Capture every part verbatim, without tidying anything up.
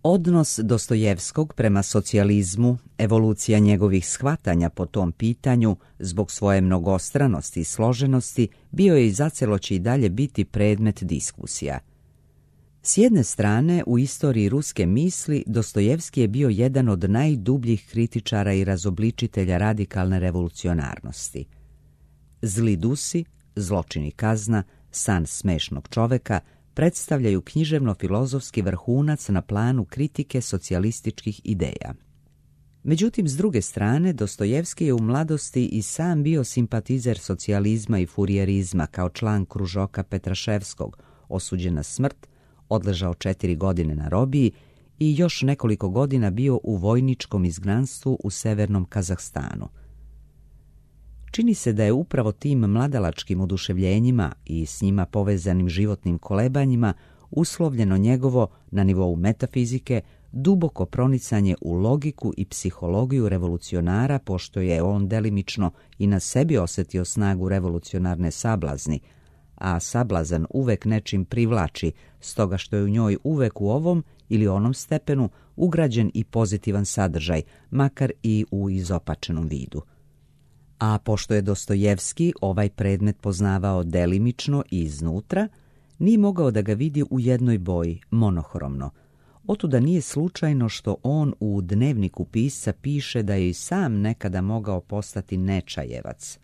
Odnos Dostojevskog prema socijalizmu, evolucija njegovih shvatanja po tom pitanju, zbog svoje mnogostranosti i složenosti, bio je i zacelo će i dalje biti predmet diskusija. S jedne strane, u istoriji ruske misli, Dostojevski je bio jedan od najdubljih kritičara i razobličitelja radikalne revolucionarnosti. Zli dusi, zločin i kazna, san smešnog čoveka predstavljaju književno-filozofski vrhunac na planu kritike socijalističkih ideja. Međutim, s druge strane, Dostojevski je u mladosti i sam bio simpatizer socijalizma i furijerizma kao član kružoka Petraševskog, osuđen na smrt, odležao četiri godine na robiji i još nekoliko godina bio u vojničkom izgnanstvu u severnom Kazahstanu. Čini se da je upravo tim mladalačkim oduševljenjima i s njima povezanim životnim kolebanjima uslovljeno njegovo, na nivou metafizike, duboko pronicanje u logiku i psihologiju revolucionara, pošto je on delimično i na sebi osjetio snagu revolucionarne sablazni, a sablazan uvek nečim privlači, stoga što je u njoj uvek u ovom ili onom stepenu ugrađen i pozitivan sadržaj, makar i u izopačenom vidu. A pošto je Dostojevski ovaj predmet poznavao delimično i iznutra, nije mogao da ga vidi u jednoj boji, monohromno. Otuda nije slučajno što on u dnevniku pisca piše da je i sam nekada mogao postati Nečajevac.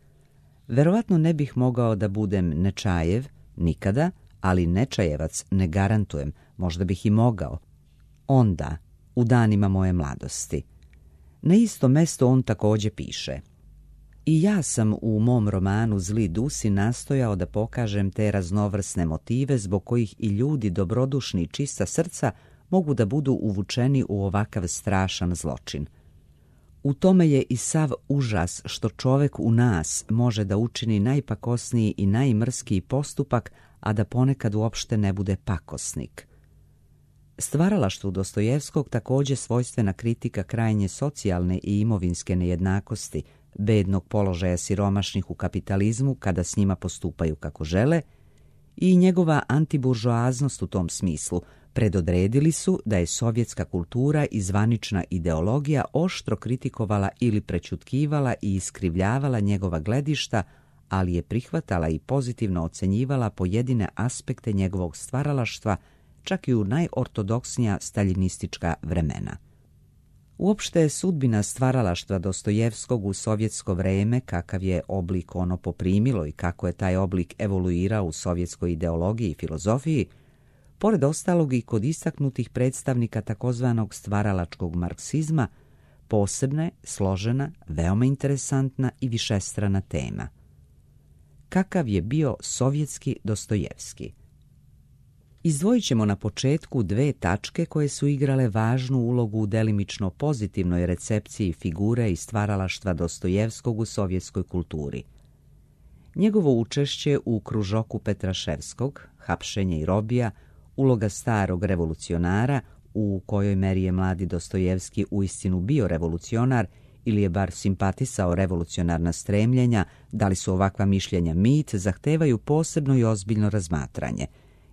Verovatno ne bih mogao da budem Nečajev, nikada, ali Nečajevac ne garantujem, možda bih i mogao. Onda, u danima moje mladosti. Na isto mesto on također piše: I ja sam u mom romanu Zli dusi nastojao da pokažem te raznovrsne motive zbog kojih i ljudi dobrodušni i čista srca mogu da budu uvučeni u ovakav strašan zločin. U tome je i sav užas što čovek u nas može da učini najpakosniji i najmrskiji postupak, a da ponekad uopšte ne bude pakosnik. Stvaralaštvu Dostojevskog također svojstvena kritika krajnje socijalne i imovinske nejednakosti, bednog položaja siromašnih u kapitalizmu kada s njima postupaju kako žele, i njegova antiburžoaznost u tom smislu predodredili su da je sovjetska kultura i zvanična ideologija oštro kritikovala ili prećutkivala i iskrivljavala njegova gledišta, ali je prihvatala i pozitivno ocenjivala pojedine aspekte njegovog stvaralaštva, čak i u najortodoksnija staljinistička vremena. Uopšte je sudbina stvaralaštva Dostojevskog u sovjetsko vreme, kakav je oblik ono poprimilo i kako je taj oblik evoluirao u sovjetskoj ideologiji i filozofiji, pored ostalog i kod istaknutih predstavnika takozvanog stvaralačkog marksizma, posebna je, složena, veoma interesantna i višestrana tema. Kakav je bio sovjetski Dostojevski? Izdvojit ćemo na početku dve tačke koje su igrale važnu ulogu u delimično pozitivnoj recepciji figure i stvaralaštva Dostojevskog u sovjetskoj kulturi. Njegovo učešće u kružoku Petraševskog, hapšenje i robija, uloga starog revolucionara, u kojoj meri je mladi Dostojevski uistinu bio revolucionar ili je bar simpatisao revolucionarna stremljenja, da li su ovakva mišljenja mit, zahtevaju posebno i ozbiljno razmatranje,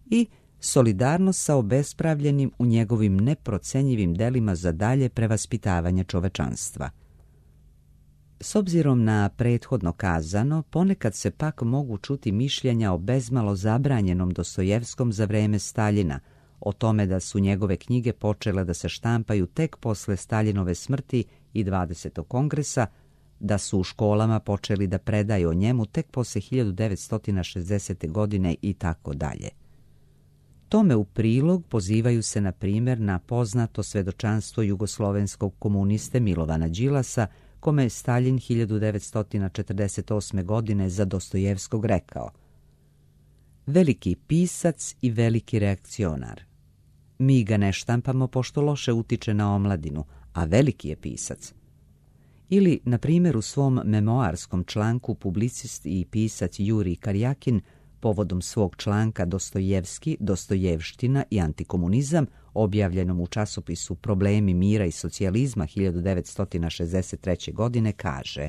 i solidarnost sa obespravljenim u njegovim neprocenjivim delima za dalje prevaspitavanje čovečanstva. S obzirom na prethodno kazano, ponekad se pak mogu čuti mišljenja o bezmalo zabranjenom Dostojevskom za vreme Staljina, o tome da su njegove knjige počele da se štampaju tek posle Staljinove smrti i dvadesetog kongresa, da su u školama počeli da predaju o njemu tek posle hiljadu devetsto šezdesete. godine i tako dalje. Tome u prilog pozivaju se na primjer na poznato svedočanstvo jugoslovenskog komuniste Milovana Đilasa, kome je Staljin hiljadu devetsto četrdeset osme. godine za Dostojevskog rekao: veliki pisac i veliki reakcionar. Mi ga ne štampamo pošto loše utiče na omladinu, a veliki je pisac. Ili, na primjer, u svom memoarskom članku publicist i pisac Jurij Karjakin povodom svog članka Dostojevski, Dostojevština i antikomunizam, objavljenom u časopisu Problemi mira i socijalizma hiljadu devetsto šezdeset treće. godine, kaže: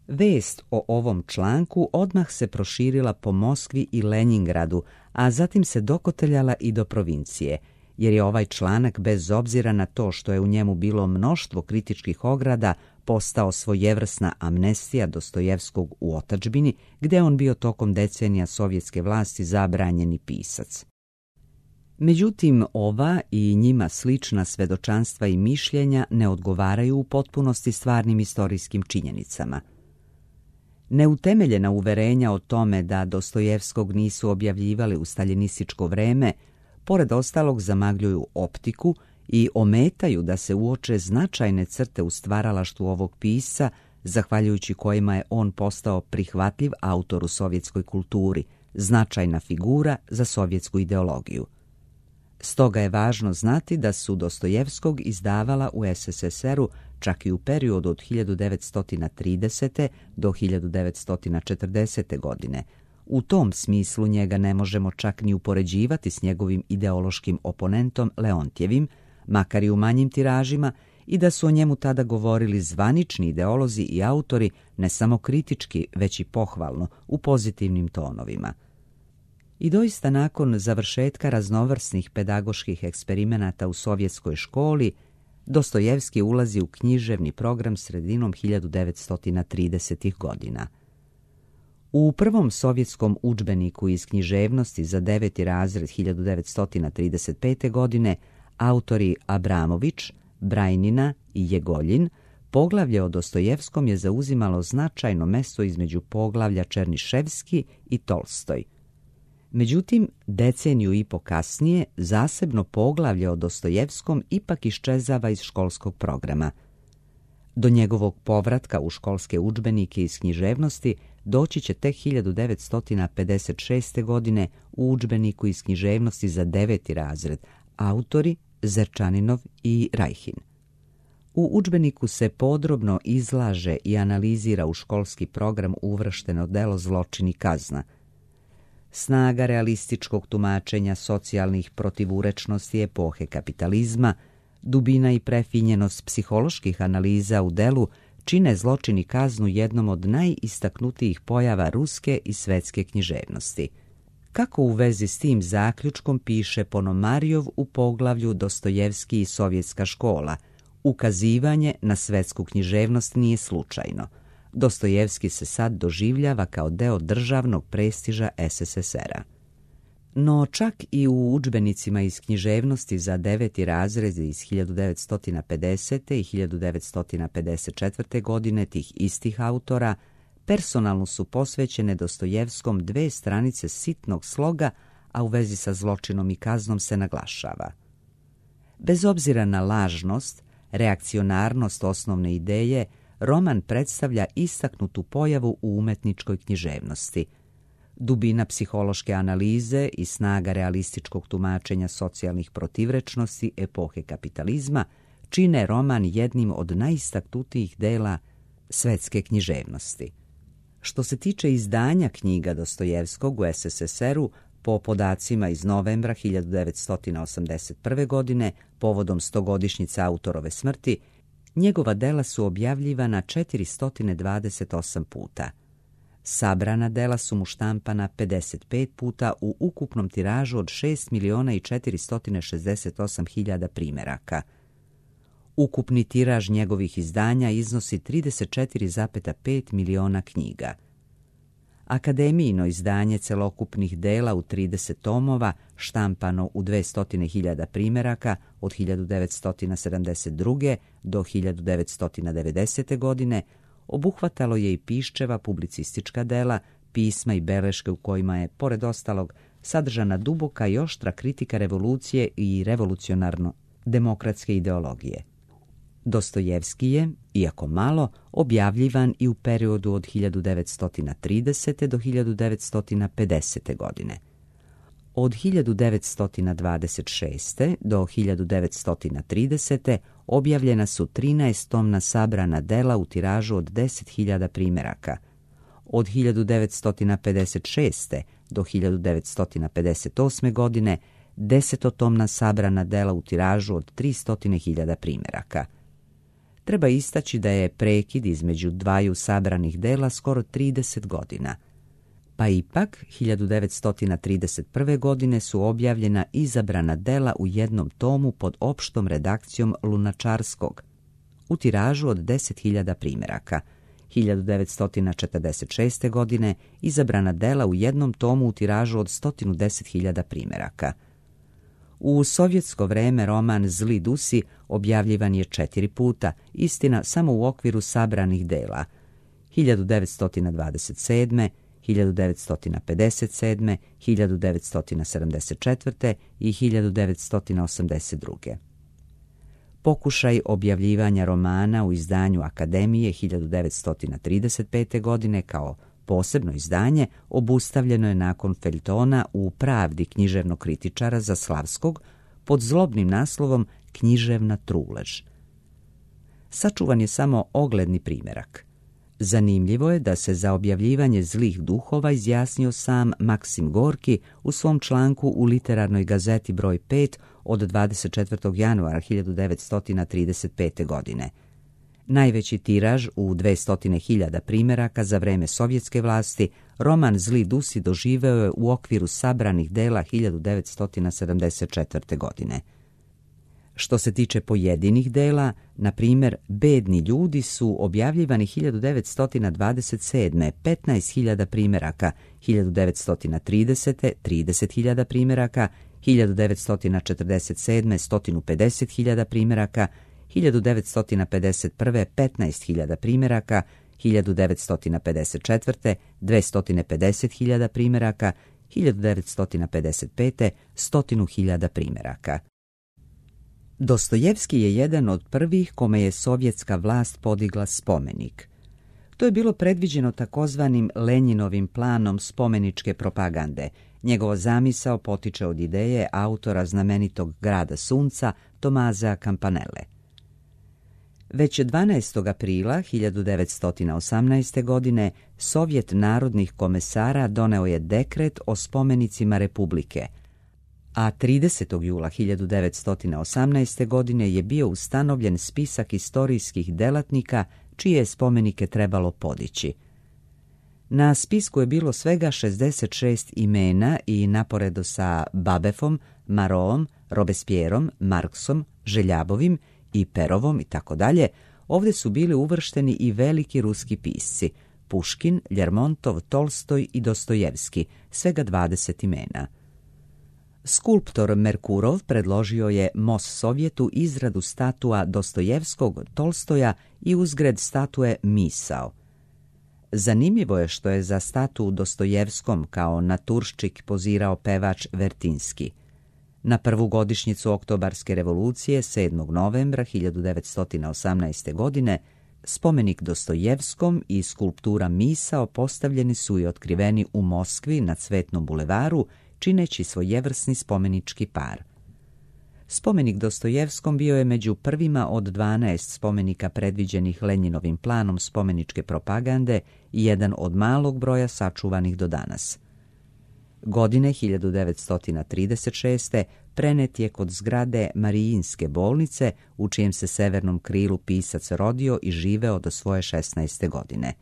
vest o ovom članku odmah se proširila po Moskvi i Lenjingradu, a zatim se dokoteljala i do provincije. jer je ovaj članak, bez obzira na to što je u njemu bilo mnoštvo kritičkih ograda, postao svojevrsna amnestija Dostojevskog u otadžbini, gdje on bio tokom decenija sovjetske vlasti zabranjeni pisac. Međutim, ova i njima slična svedočanstva i mišljenja ne odgovaraju u potpunosti stvarnim istorijskim činjenicama. Neutemeljena uverenja o tome da Dostojevskog nisu objavljivali u staljinističko vreme, pored ostalog zamagljuju optiku i ometaju da se uoče značajne crte u stvaralaštvu ovog pisca, zahvaljujući kojima je on postao prihvatljiv autor u sovjetskoj kulturi, značajna figura za sovjetsku ideologiju. Stoga je važno znati da su Dostojevskog izdavala u es es es er-u čak i u periodu od hiljadu devetsto tridesete. do hiljadu devetsto četrdesete. godine. U tom smislu njega ne možemo čak ni upoređivati s njegovim ideološkim oponentom Leontjevim, makar i u manjim tiražima, i da su o njemu tada govorili zvanični ideolozi i autori ne samo kritički, već i pohvalno, u pozitivnim tonovima. I doista nakon završetka raznovrsnih pedagoških eksperimenata u sovjetskoj školi, Dostojevski ulazi u književni program sredinom hiljadu devetsto tridesetih godina. U prvom sovjetskom udžbeniku iz književnosti za deveti razred hiljadu devetsto trideset pete. godine autori Abramović, Brajnina i Jegoljin poglavlje o Dostojevskom je zauzimalo značajno mesto između poglavlja Černiševski i Tolstoj. Međutim, deceniju i po kasnije zasebno poglavlje o Dostojevskom ipak iščezava iz školskog programa. Do njegovog povratka u školske udžbenike iz književnosti doći će tek hiljadu devetsto pedeset šeste. godine u udžbeniku iz književnosti za deveti razred, autori Zerčaninov i Rajhin. U udžbeniku se podrobno izlaže i analizira u školski program uvršteno delo Zločin i kazna. Snaga realističkog tumačenja socijalnih protivurečnosti epohe kapitalizma, dubina i prefinjenost psiholoških analiza u delu čine Zločin i kaznu jednom od najistaknutijih pojava ruske i svetske književnosti. Kako u vezi s tim zaključkom piše Ponomarjov u poglavlju Dostojevski i sovjetska škola, ukazivanje na svetsku književnost nije slučajno. Dostojevski se sad doživljava kao deo državnog prestiža es es es er-a. No čak i u udžbenicima iz književnosti za deveti razred iz hiljadu devetsto pedesete. i hiljadu devetsto pedeset četvrte. godine tih istih autora personalno su posvećene Dostojevskom dve stranice sitnog sloga, a u vezi sa Zločinom i kaznom se naglašava. Bez obzira na lažnost, reakcionarnost osnovne ideje, roman predstavlja istaknutu pojavu u umetničkoj književnosti. Dubina psihološke analize i snaga realističkog tumačenja socijalnih protivrečnosti epohe kapitalizma čine roman jednim od najistaknutijih dela svetske književnosti. Što se tiče izdanja knjiga Dostojevskog u es es es er-u, po podacima iz novembra hiljadu devetsto osamdeset prve. godine, povodom stogodišnjice autorove smrti, njegova dela su objavljivana četiristo dvadeset osam puta. Sabrana dela su mu štampana pedeset pet puta u ukupnom tiražu od šest miliona i četiristo šezdeset osam hiljada primjeraka. Ukupni tiraž njegovih izdanja iznosi trideset četiri zarez pet miliona knjiga. Akademijino izdanje celokupnih dela u trideset tomova, štampano u dvesta hiljada primjeraka od hiljadu devetsto sedamdeset druge. do hiljadu devetsto devedesete. godine, obuhvatalo je i Piščeva publicistička dela, pisma i beleške u kojima je, pored ostalog, sadržana duboka i oštra kritika revolucije i revolucionarno-demokratske ideologije. Dostojevski je, iako malo, objavljivan i u periodu od hiljadu devetsto tridesete. do hiljadu devetsto pedesete. godine. Od hiljadu devetsto dvadeset šeste. do hiljadu devetsto tridesete. objavljena su trinaestomna sabrana dela u tiražu od deset hiljada primjeraka. Od hiljadu devetsto pedeset šeste. do hiljadu devetsto pedeset osme. godine desetotomna sabrana dela u tiražu od tristo hiljada primjeraka. Treba istaći da je prekid između dvaju sabranih dela skoro trideset godina. Pa ipak, hiljadu devetsto trideset prve. godine su objavljena izabrana dela u jednom tomu pod opštom redakcijom Lunačarskog, u tiražu od deset hiljada primjeraka. hiljadu devetsto četrdeset šeste. godine izabrana dela u jednom tomu u tiražu od sto deset hiljada primjeraka. U sovjetsko vreme roman Zli dusi objavljivan je četiri puta, istina samo u okviru sabranih dela. hiljadu devetsto dvadeset sedme. hiljadu devetsto pedeset sedme. hiljadu devetsto sedamdeset četvrte. i hiljadu devetsto osamdeset druge. Pokušaj objavljivanja romana u izdanju Akademije hiljadu devetsto trideset pete. godine kao posebno izdanje obustavljeno je nakon feljtona u Pravdi književnog kritičara Zaslavskog pod zlobnim naslovom Književna trulež. Sačuvan je samo ogledni primjerak. Zanimljivo je da se za objavljivanje Zlih duhova izjasnio sam Maksim Gorki u svom članku u Literarnoj gazeti broj pet od dvadeset četvrtog januara hiljadu devetsto trideset pete. godine. Najveći tiraž u dvesta hiljada primjeraka za vreme sovjetske vlasti, roman Zli dusi doživeo je u okviru sabranih dela hiljadu devetsto sedamdeset četvrte. godine. Što se tiče pojedinih dela, na primjer, Bedni ljudi su objavljivani hiljadu devetsto dvadeset sedme. petnaest hiljada primjeraka, hiljadu devetsto tridesete. trideset hiljada primjeraka, hiljadu devetsto četrdeset sedme. sto pedeset hiljada primjeraka, hiljadu devetsto pedeset prve. petnaest hiljada primjeraka, hiljadu devetsto pedeset četvrte. dvesta pedeset hiljada primjeraka, hiljadu devetsto pedeset pete. sto hiljada primjeraka. Dostojevski je jedan od prvih kome je sovjetska vlast podigla spomenik. To je bilo predviđeno takozvanim Lenjinovim planom spomeničke propagande. Njegova zamisao potiče od ideje autora znamenitog Grada sunca Tomazea Campanelle. Već dvanaestog aprila hiljadu devetsto osamnaeste. godine Sovjet narodnih komesara doneo je dekret o spomenicima Republike, a tridesetog jula hiljadu devetsto osamnaeste. godine je bio ustanovljen spisak istorijskih delatnika čije je spomenike trebalo podići. Na spisku je bilo svega šezdeset šest imena i naporedo sa Babefom, Maroom, Robespierrom, Marksom, Željabovim i Perovom i tako dalje, ovdje su bili uvršteni i veliki ruski pisci Puškin, Ljermontov, Tolstoj i Dostojevski, svega dvadeset imena. Skulptor Merkurov predložio je Mos Sovjetu izradu statua Dostojevskog, Tolstoja i uzgred statue Misao. Zanimljivo je što je za statu Dostojevskom kao naturščik pozirao pevač Vertinski. Na prvu godišnjicu Oktobarske revolucije, sedmog novembra hiljadu devetsto osamnaeste. godine, spomenik Dostojevskom i skulptura Misao postavljeni su i otkriveni u Moskvi na Cvetnom bulevaru, čineći svojevrsni spomenički par. Spomenik Dostojevskom bio je među prvima od dvanaest spomenika predviđenih Lenjinovim planom spomeničke propagande i jedan od malog broja sačuvanih do danas. Godine hiljadu devetsto trideset šeste. prenet je kod zgrade Marijinske bolnice, u čijem se severnom krilu pisac rodio i živeo do svoje šesnaeste. godine.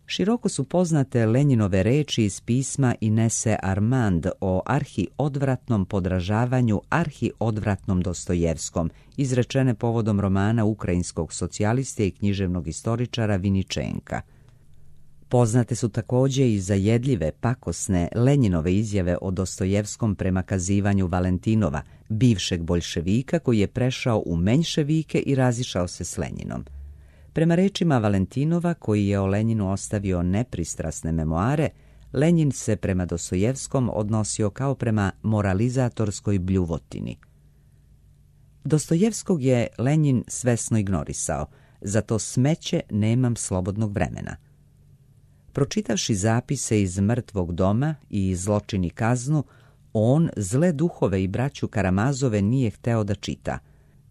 Široko su poznate Lenjinove reči iz pisma Inese Armand o arhi-odvratnom podražavanju arhi-odvratnom Dostojevskom, izrečene povodom romana ukrajinskog socijaliste i književnog istoričara Viničenka. Poznate su također i zajedljive, pakosne Lenjinove izjave o Dostojevskom prema kazivanju Valentinova, bivšeg boljševika koji je prešao u menjševike i razišao se s Lenjinom. Prema rečima Valentinova, koji je o Lenjinu ostavio nepristrasne memoare, Lenjin se prema Dostojevskom odnosio kao prema moralizatorskoj bljuvotini. Dostojevskog je Lenjin svesno ignorisao, zato smeće nemam slobodnog vremena. Pročitavši zapise iz Mrtvog doma i Zločin i kaznu, on zle duhove i braću Karamazove nije hteo da čita.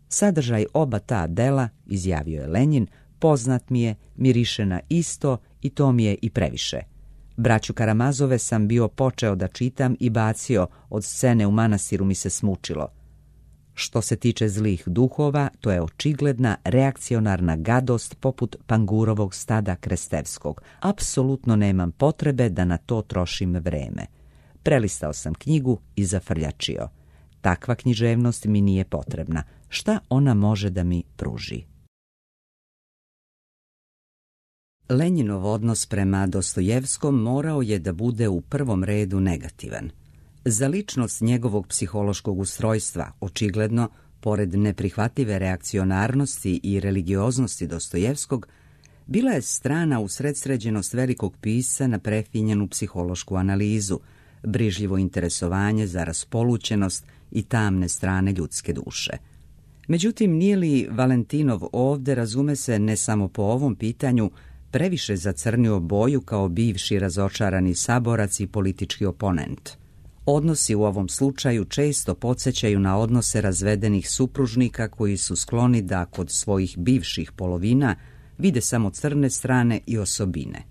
Sadržaj oba ta dela, izjavio je Lenjin, poznat mi je, miriše na isto i to mi je i previše. Braću Karamazove sam bio počeo da čitam i bacio, od scene u manastiru mi se smučilo. Što se tiče zlih duhova, to je očigledna reakcionarna gadost poput pangurovog stada Krestevskog. Apsolutno nemam potrebe da na to trošim vreme. Prelistao sam knjigu i zafrljačio. Takva književnost mi nije potrebna. Šta ona može da mi pruži? Lenjinov odnos prema Dostojevskom morao je da bude u prvom redu negativan. Za ličnost njegovog psihološkog ustrojstva, očigledno, pored neprihvatljive reakcionarnosti i religioznosti Dostojevskog, bila je strana usredsređenost velikog pisca na prefinjenu psihološku analizu, brižljivo interesovanje za raspolućenost i tamne strane ljudske duše. Međutim, nije li Valentinov ovde, razume se, ne samo po ovom pitanju, previše zacrnio boju kao bivši razočarani saborac i politički oponent? Odnosi u ovom slučaju često podsjećaju na odnose razvedenih supružnika koji su skloni da kod svojih bivših polovina vide samo crne strane i osobine.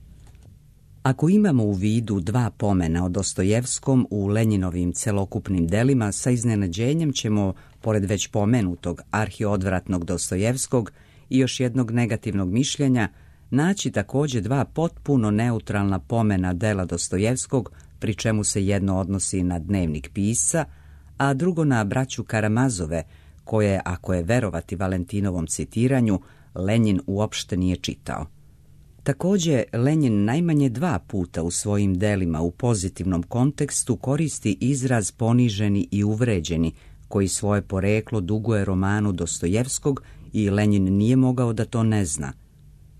Ako imamo u vidu dva pomena o Dostojevskom u Lenjinovim celokupnim delima, sa iznenađenjem ćemo, pored već pomenutog arhiodvratnog Dostojevskog i još jednog negativnog mišljenja, naći također dva potpuno neutralna pomena dela Dostojevskog, pri čemu se jedno odnosi na dnevnik pisca, a drugo na braću Karamazove, koje, ako je verovati Valentinovom citiranju, Lenjin uopšte nije čitao. Također, Lenjin najmanje dva puta u svojim delima u pozitivnom kontekstu koristi izraz poniženi i uvređeni, koji svoje poreklo duguje romanu Dostojevskog i Lenjin nije mogao da to ne zna.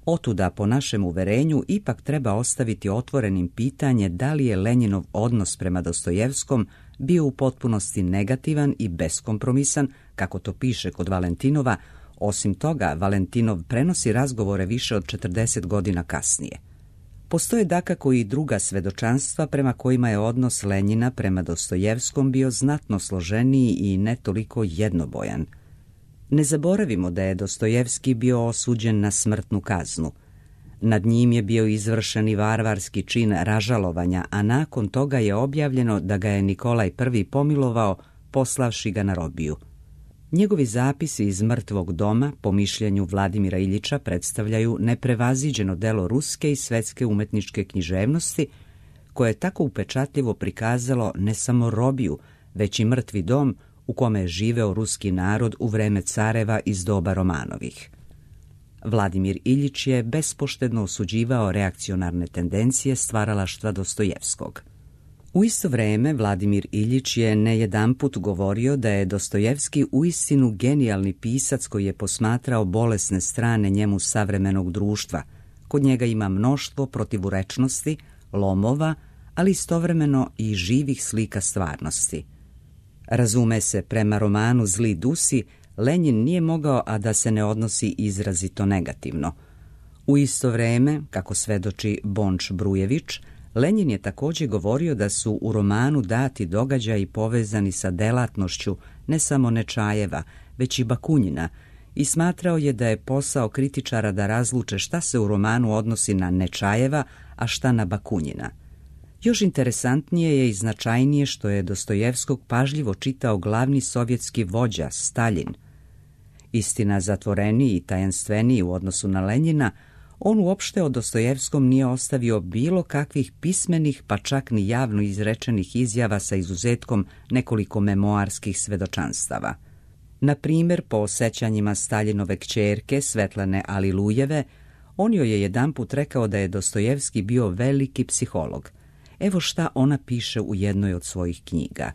Otuda, po našem uverenju, ipak treba ostaviti otvorenim pitanje da li je Lenjinov odnos prema Dostojevskom bio u potpunosti negativan i beskompromisan, kako to piše kod Valentinova. Osim toga, Valentinov prenosi razgovore više od četrdeset godina kasnije. Postoje dakako i druga svedočanstva prema kojima je odnos Lenjina prema Dostojevskom bio znatno složeniji i ne toliko jednobojan. Ne zaboravimo da je Dostojevski bio osuđen na smrtnu kaznu. Nad njim je bio izvršen i varvarski čin ražalovanja, a nakon toga je objavljeno da ga je Nikolaj Prvi pomilovao, poslavši ga na robiju. Njegovi zapisi iz mrtvog doma, po mišljenju Vladimira Iljiča, predstavljaju neprevaziđeno delo ruske i svetske umetničke književnosti, koje je tako upečatljivo prikazalo ne samo robiju, već i mrtvi dom u kome je živeo ruski narod u vreme careva iz doba Romanovih. Vladimir Iljič je bespoštedno osuđivao reakcionarne tendencije stvaralaštva Dostojevskog. U isto vreme Vladimir Iljič je ne jedanput govorio da je Dostojevski uistinu genijalni pisac koji je posmatrao bolesne strane njemu savremenog društva. Kod njega ima mnoštvo protivurečnosti, lomova, ali istovremeno i živih slika stvarnosti. Razume se, prema romanu Zli dusi, Lenjin nije mogao a da se ne odnosi izrazito negativno. U isto vreme, kako svedoči Bonč Brujević, Lenjin je također govorio da su u romanu dati događaji povezani sa delatnošću ne samo Nečajeva, već i Bakunjina, i smatrao je da je posao kritičara da razluče šta se u romanu odnosi na Nečajeva, a šta na Bakunjina. Još interesantnije je i značajnije što je Dostojevskog pažljivo čitao glavni sovjetski vođa, Staljin. Istina, zatvoreniji i tajanstveniji u odnosu na Lenjina, on uopšte o Dostojevskom nije ostavio bilo kakvih pismenih, pa čak ni javno izrečenih izjava sa izuzetkom nekoliko memoarskih svedočanstava. Na primjer, po sećanjima Staljinove kćerke Svetlane Alilujeve, on joj je jedanput rekao da je Dostojevski bio veliki psiholog. Evo šta ona piše u jednoj od svojih knjiga.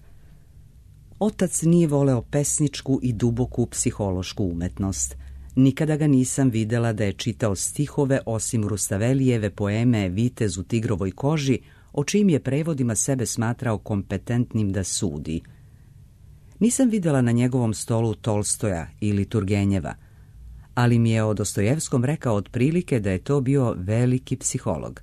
Otac nije voleo pesničku i duboku psihološku umetnost. Nikada ga nisam videla da je čitao stihove osim Rustavelijeve poeme Vitez u tigrovoj koži, o čijim je prevodima sebe smatrao kompetentnim da sudi. Nisam videla na njegovom stolu Tolstoja ili Turgenjeva, ali mi je o Dostojevskom rekao otprilike da je to bio veliki psiholog.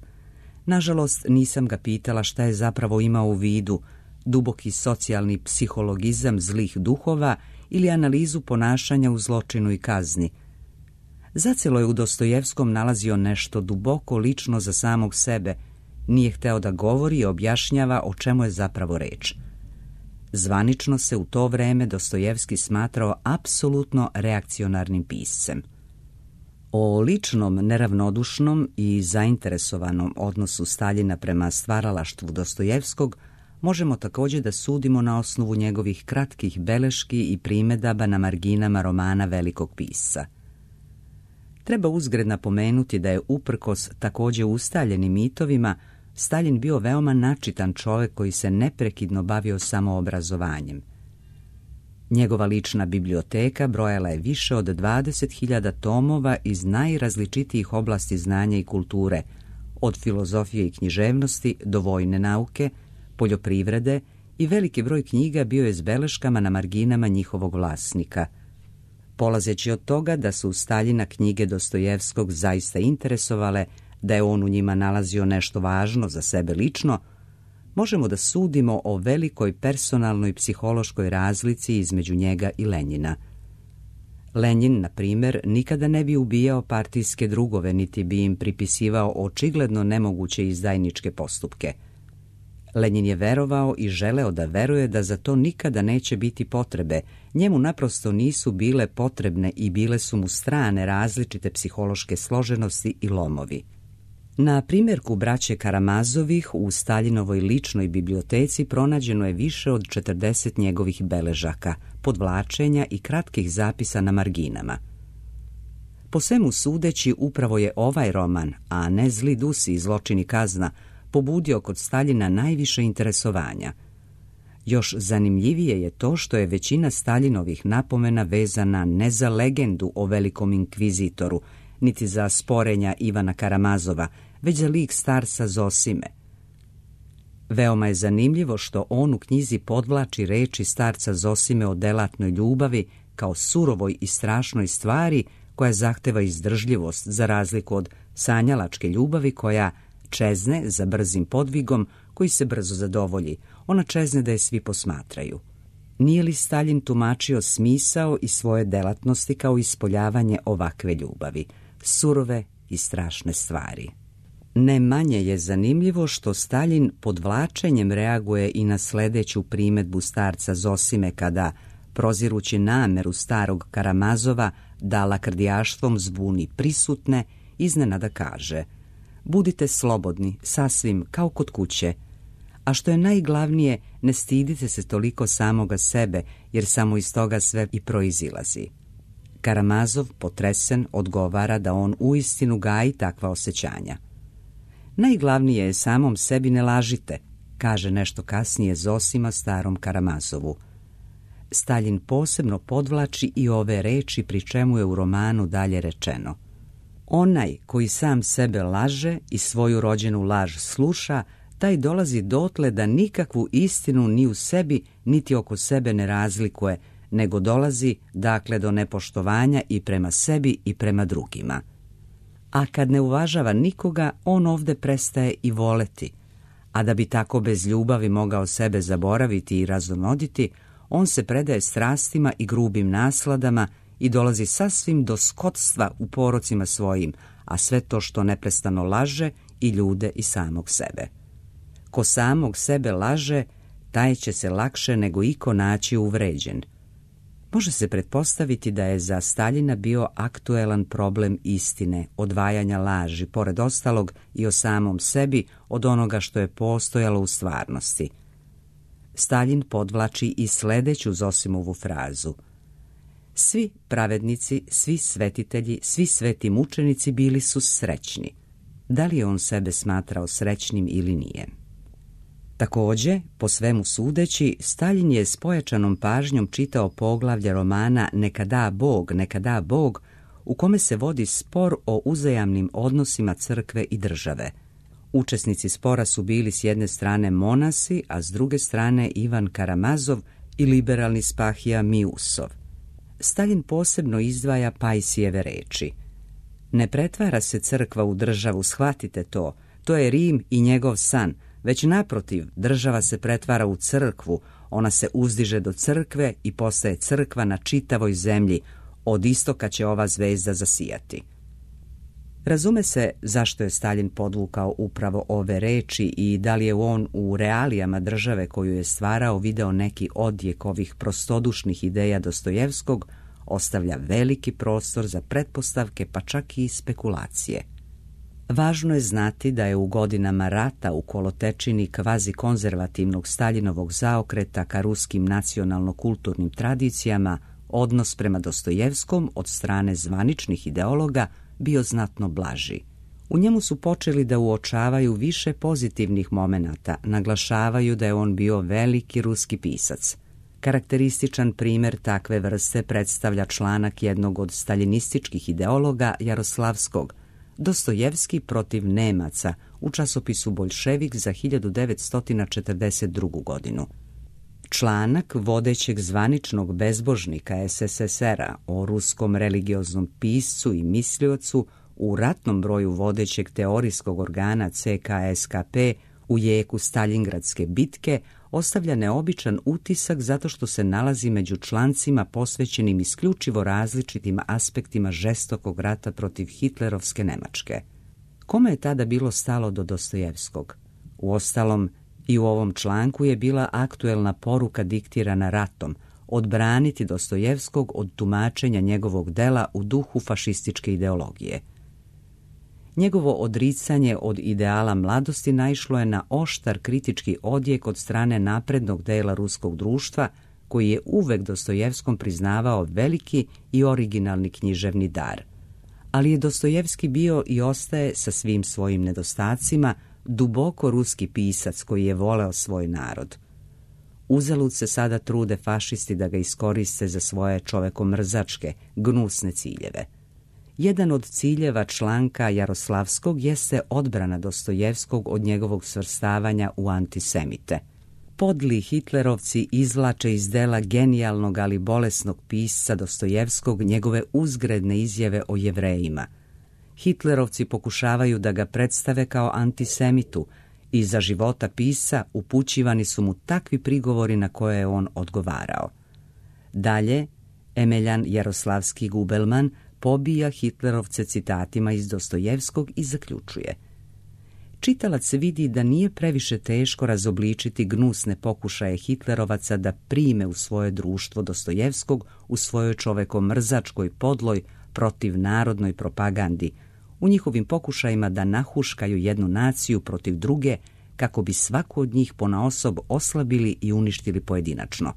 Nažalost, nisam ga pitala šta je zapravo imao u vidu, duboki socijalni psihologizam zlih duhova ili analizu ponašanja u zločinu i kazni. Zacelo je u Dostojevskom nalazio nešto duboko lično za samog sebe, nije hteo da govori i objašnjava o čemu je zapravo reč. Zvanično se u to vreme Dostojevski smatrao apsolutno reakcionarnim piscem. O ličnom, neravnodušnom i zainteresovanom odnosu Staljina prema stvaralaštvu Dostojevskog možemo također da sudimo na osnovu njegovih kratkih beleški i primedaba na marginama romana velikog pisca. Treba uzgred napomenuti da je uprkos također ustaljenim mitovima Staljin bio veoma načitan čovjek koji se neprekidno bavio samoobrazovanjem. Njegova lična biblioteka brojala je više od dvadeset hiljada tomova iz najrazličitijih oblasti znanja i kulture, od filozofije i književnosti do vojne nauke, poljoprivrede, i veliki broj knjiga bio je s beleškama na marginama njihovog vlasnika. Polazeći od toga da su Staljina knjige Dostojevskog zaista interesovale, da je on u njima nalazio nešto važno za sebe lično, možemo da sudimo o velikoj personalnoj psihološkoj razlici između njega i Lenjina. Lenjin, na primjer, nikada ne bi ubijao partijske drugove, niti bi im pripisivao očigledno nemoguće izdajničke postupke. Lenjin je verovao i želeo da veruje da za to nikada neće biti potrebe. Njemu naprosto nisu bile potrebne i bile su mu strane različite psihološke složenosti i lomovi. Na primjerku braće Karamazovih u Staljinovoj ličnoj biblioteci pronađeno je više od četrdeset njegovih beležaka, podvlačenja i kratkih zapisa na marginama. Po svemu sudeći, upravo je ovaj roman, a ne Zli dusi i Zločin i kazna, pobudio kod Staljina najviše interesovanja. Još zanimljivije je to što je većina Staljinovih napomena vezana ne za legendu o velikom inkvizitoru, niti za sporenja Ivana Karamazova, već za lik starca Zosime. Veoma je zanimljivo što on u knjizi podvlači reči starca Zosime o delatnoj ljubavi kao surovoj i strašnoj stvari koja zahteva izdržljivost, za razliku od sanjalačke ljubavi koja čezne za brzim podvigom koji se brzo zadovolji. Ona čezne da je svi posmatraju. Nije li Staljin tumačio smisao i svoje delatnosti kao ispoljavanje ovakve ljubavi, surove i strašne stvari? Ne manje je zanimljivo što Staljin podvlačenjem reaguje i na sljedeću primedbu starca Zosime kada, prozirući nameru starog Karamazova da lakrdijaštvom zbuni prisutne, iznenada kaže: budite slobodni, sasvim kao kod kuće, a što je najglavnije, ne stidite se toliko samoga sebe, jer samo iz toga sve i proizilazi. Karamazov, potresen, odgovara da on uistinu gaji takva osjećanja. Najglavnije je samom sebi ne lažite, kaže nešto kasnije Zosima starom Karamazovu. Staljin posebno podvlači i ove reči, pri čemu je u romanu dalje rečeno: onaj koji sam sebe laže i svoju rođenu laž sluša, taj dolazi dotle da nikakvu istinu ni u sebi niti oko sebe ne razlikuje, nego dolazi dakle do nepoštovanja i prema sebi i prema drugima. A kad ne uvažava nikoga, on ovde prestaje i voleti, a da bi tako bez ljubavi mogao sebe zaboraviti i razonoditi, on se predaje strastima i grubim nasladama i dolazi sasvim do skotstva u porocima svojim, a sve to što neprestano laže i ljude i samog sebe. Ko samog sebe laže, taj će se lakše nego iko naći uvređen. Može se pretpostaviti da je za Staljina bio aktuelan problem istine, odvajanja laži, pored ostalog i o samom sebi od onoga što je postojalo u stvarnosti. Staljin podvlači i sljedeću Zosimovu frazu: svi pravednici, svi svetitelji, svi sveti mučenici bili su srećni. Da li je on sebe smatrao srećnim ili nije? Također, po svemu sudeći, Staljin je s pojačanom pažnjom čitao poglavlje romana Neka da Bog, neka da Bog, u kome se vodi spor o uzajamnim odnosima crkve i države. Učesnici spora su bili s jedne strane monasi, a s druge strane Ivan Karamazov i liberalni Spahija Miusov. Staljin posebno izdvaja Pajsijeve reči: ne pretvara se crkva u državu, shvatite to, to je Rim i njegov san, već naprotiv, država se pretvara u crkvu, ona se uzdiže do crkve i postaje crkva na čitavoj zemlji, od istoka će ova zvezda zasijati. Razume se zašto je Staljin podvukao upravo ove reči i da li je on u realijama države koju je stvarao video neki odjek ovih prostodušnih ideja Dostojevskog, ostavlja veliki prostor za pretpostavke pa čak i spekulacije. Važno je znati da je u godinama rata u kolotečini kvazi konzervativnog Staljinovog zaokreta ka ruskim nacionalno-kulturnim tradicijama odnos prema Dostojevskom od strane zvaničnih ideologa bio znatno blaži. U njemu su počeli da uočavaju više pozitivnih momenata, naglašavaju da je on bio veliki ruski pisac. Karakterističan primjer takve vrste predstavlja članak jednog od staljinističkih ideologa Jaroslavskog, Dostojevski protiv Nemaca, u časopisu Boljševik za hiljadu devetsto četrdeset drugu godinu. Članak vodećeg zvaničnog bezbožnika es es es era o ruskom religioznom piscu i misliocu u ratnom broju vodećeg teorijskog organa ce ka es ka pe u jeku Staljingradske bitke ostavlja neobičan utisak zato što se nalazi među člancima posvećenim isključivo različitim aspektima žestokog rata protiv hitlerovske Nemačke. Kome je tada bilo stalo do Dostojevskog? Uostalom, i u ovom članku je bila aktuelna poruka diktirana ratom, odbraniti Dostojevskog od tumačenja njegovog dela u duhu fašističke ideologije. Njegovo odricanje od ideala mladosti naišlo je na oštar kritički odjek od strane naprednog dela ruskog društva, koji je uvek Dostojevskom priznavao veliki i originalni književni dar. Ali je Dostojevski bio i ostaje sa svim svojim nedostacima duboko ruski pisac koji je voleo svoj narod. Uzalud se sada trude fašisti da ga iskoriste za svoje čovekomrzačke, gnusne ciljeve. Jedan od ciljeva članka Jaroslavskog jeste odbrana Dostojevskog od njegovog svrstavanja u antisemite. Podli hitlerovci izvlače iz dela genijalnog ali bolesnog pisca Dostojevskog njegove uzgredne izjave o Jevrejima. Hitlerovci pokušavaju da ga predstave kao antisemitu i za života pisca upućivani su mu takvi prigovori na koje je on odgovarao. Dalje, Emeljan Jaroslavski Gubelman pobija hitlerovce citatima iz Dostojevskog i zaključuje: čitalac vidi da nije previše teško razobličiti gnusne pokušaje hitlerovaca da prime u svoje društvo Dostojevskog u svojoj čovekomrzačkoj podloj protivnarodnoj propagandi, u njihovim pokušajima da nahuškaju jednu naciju protiv druge kako bi svaku od njih ponaosob oslabili i uništili pojedinačno.